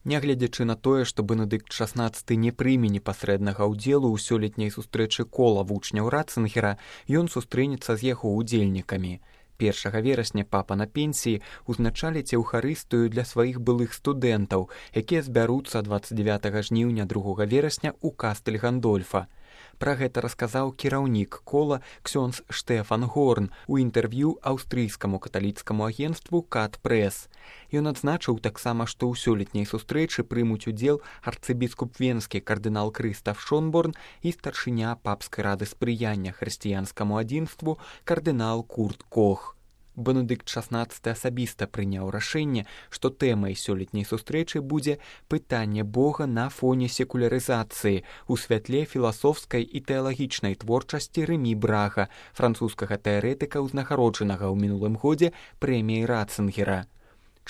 Нягледзячы на тое, што Бенедыкт XVI не прыме непасрэднага ўдзелу ў сёлетняй сустрэчы кола вучняў Ратцынгера, ён сустрэнецца з яго ўдзельнікамі. 1 верасня папа на пенсіі узначаліць еўхарыстыю для сваіх былых студэнтаў, якія збяруцца 29 жніўня 2 верасня ў кастэль Гандольфа. Пра гэта расказаў кіраўнік кола ксёндз Штефан Горн у інтэрв'ю аўстрыйскаму каталіцкаму агенцтву Кат Прэс. Ён адзначыў таксама, што ў сёлетняй сустрэчы прымуць удзел арцыбіскуп венскі кардынал Крыстаф Шонборн і старшыня папскай рады спрыяння хрысціянскаму адзінству кардынал Курт Кох. Бенедыкт XVI асабіста прыняў рашэнне, што тэмай сёлетняй сустрэчы будзе пытанне Бога на фоне секулярызацыі у святле філасофскай і тэалагічнай творчасці Рэмі Брага, французскага тэарэтыка, узнагароджанага ў минулым годзе прэміяй Ратцынгера.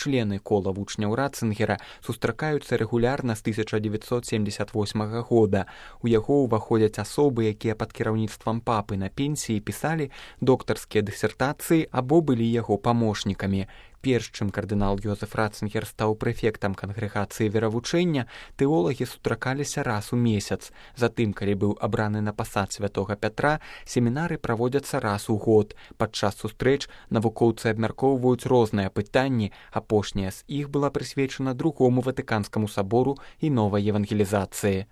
Члены кола вучняў Ратцынгера сустракаюцца рэгулярна з 1978 года. У яго ўваходзяць асобы, якія пад кіраўніцтвам папы на пенсіі пісалі доктарскія дысертацыі або былі яго памочнікамі. Перш чым кардынал Йозеф Ратцынгер стаў прэфектам кангрэгацыі веравучэння, тэолагі сустракаліся раз у месяц. Затым, калі быў абраны на пасад святога Пятра, семінары праводзяцца раз у год. Падчас сустрэч навукоўцы абмяркоўваюць розныя пытанні, апошняя з іх была прысвечана другому Ватыканскаму сабору і новай евангелізацыі.